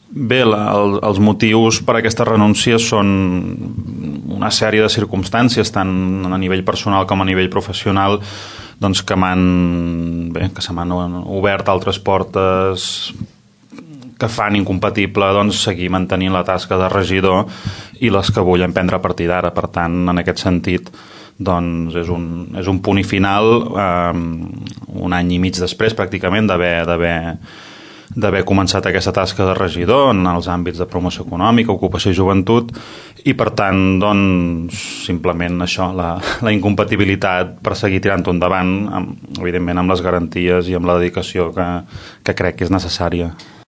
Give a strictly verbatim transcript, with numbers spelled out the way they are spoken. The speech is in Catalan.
Bé, la, el, els motius per a aquesta renúncia són una sèrie de circumstàncies, tant a nivell personal com a nivell professional, doncs que m'han, bé, que se m'han obert altres portes que fan incompatible doncs, seguir mantenint la tasca de regidor i les que vull emprendre a partir d'ara. Per tant, en aquest sentit, doncs és un, és un punt i final, eh, un any i mig després pràcticament d'haver d'haver d'haver començat aquesta tasca de regidor en els àmbits de promoció econòmica, ocupació i joventut, i per tant, doncs, simplement això, la, la incompatibilitat per seguir tirant-ho endavant, amb, evidentment amb les garanties i amb la dedicació que, que crec que és necessària.